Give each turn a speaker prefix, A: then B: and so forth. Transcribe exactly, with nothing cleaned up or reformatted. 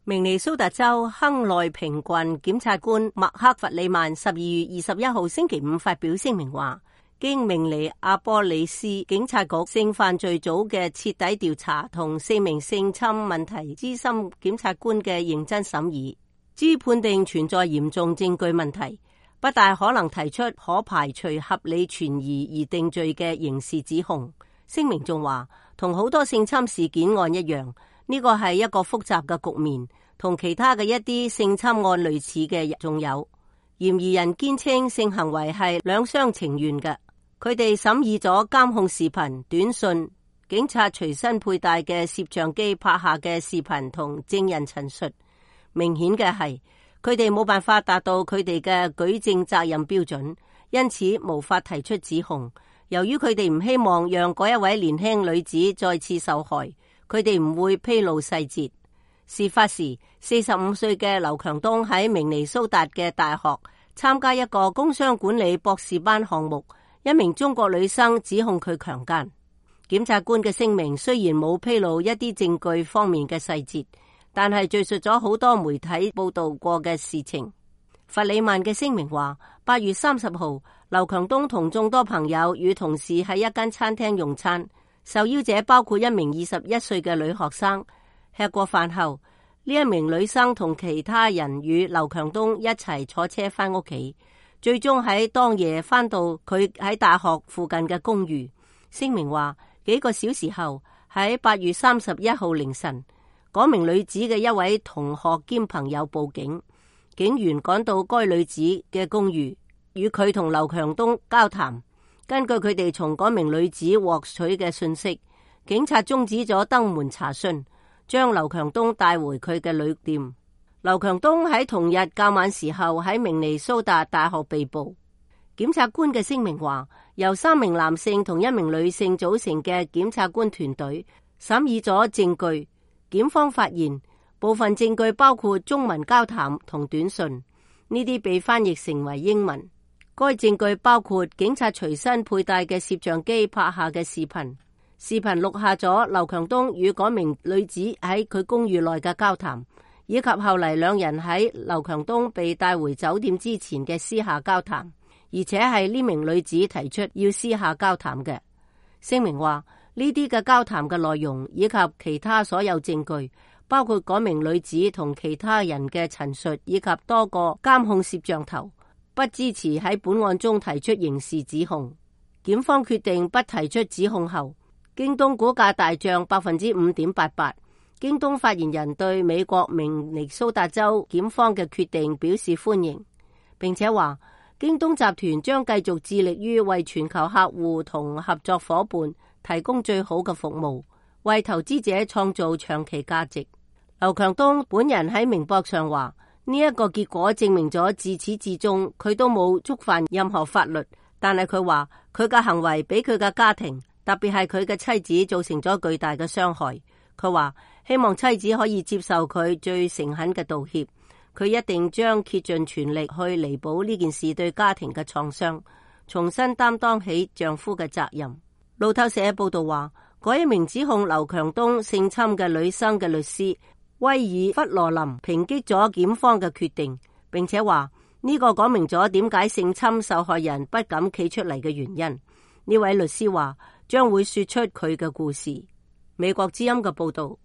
A: 明尼蘇達州亨內平郡檢察官麥克弗里曼十二月二十一號星期五發表聲明話，經明尼阿波利斯警察局性犯罪組嘅徹底調查同四名性侵問題資深檢察官嘅認真審議，經判定存在嚴重證據問題，不大可能提出可排除合理存疑而定罪嘅刑事指控。聲明仲話，同好多性侵事件案一樣，呢個係一個複雜嘅局面，同其他嘅一啲性侵案類似嘅仲有。嫌疑人堅稱性行為係兩廂情願嘅。佢哋審議咗監控視頻、短信、警察隨身佩戴嘅攝像機拍下嘅視頻同證人陳述。明顯嘅係，佢哋冇辦法達到佢哋嘅舉證責任標準，因此無法提出指控。由於佢哋唔希望讓嗰一位年輕女子再次受害，佢哋唔會披露細節。事發時，四十五歲嘅劉強東喺明尼蘇達嘅大學參加一個工商管理博士班項目，一名中國女生指控佢強姦。檢察官嘅聲明雖然冇披露一啲證據方面嘅細節，但係敘述咗好多媒體報道過嘅事情。弗里曼嘅聲明話，八月三十號，劉強東同眾多朋友與同事喺一間餐廳用餐。受邀者包括一名二十一歲嘅女學生。吃過飯後，呢一名女生同其他人與劉強東一齊坐車返屋企，最終喺當夜返到佢喺大學附近嘅公寓。聲明話，幾個小時後，喺八月三十一號凌晨，嗰名女子嘅一位同學兼朋友報警，警員趕到該女子嘅公寓，與佢同劉強東交談。根據佢哋從嗰名女子獲取嘅信息，警察終止咗登門查詢，將劉強東帶回佢嘅旅店。劉強東喺同日較晚時候喺明尼蘇達大學被捕。檢察官嘅聲明話，由三名男性同一名女性組成嘅檢察官團隊審議咗證據。檢方發現部分證據包括中文交談同短信，呢啲被翻譯成為英文。該證據包括警察隨身佩戴嘅攝像機拍下嘅視頻，視頻錄下咗劉強東與嗰名女子喺佢公寓內嘅交談，以及後嚟兩人喺劉強東被帶回酒店之前嘅私下交談，而且係呢名女子提出要私下交談嘅。聲明話，呢啲嘅交談嘅內容以及其他所有證據，包括嗰名女子同其他人嘅陳述，以及多個監控攝像頭，不支持喺本案中提出刑事指控。檢方決定不提出指控後，京東股價大漲百分之五點八八。京東發言人對美國明尼蘇達州檢方嘅決定表示歡迎，並且話京東集團將繼續致力於為全球客戶同合作夥伴提供最好嘅服務，為投資者創造長期價值。劉強東本人喺明博上話，呢一個結果證明咗自始至終佢都冇觸犯任何法律，但係佢話佢嘅行為俾佢嘅家庭，特別係佢嘅妻子造成咗巨大嘅傷害。佢話希望妻子可以接受佢最誠懇嘅道歉，佢一定將竭盡全力去彌補呢件事對家庭嘅創傷，重新擔當起丈夫嘅責任。路透社報道話，嗰一名指控劉強東性侵嘅女生嘅律師威爾弗羅林抨擊咗檢方嘅決定，並且話呢個講明咗點解性侵受害人不敢企出嚟嘅原因。呢位律師話將會說出佢嘅故事。美國之音嘅報道。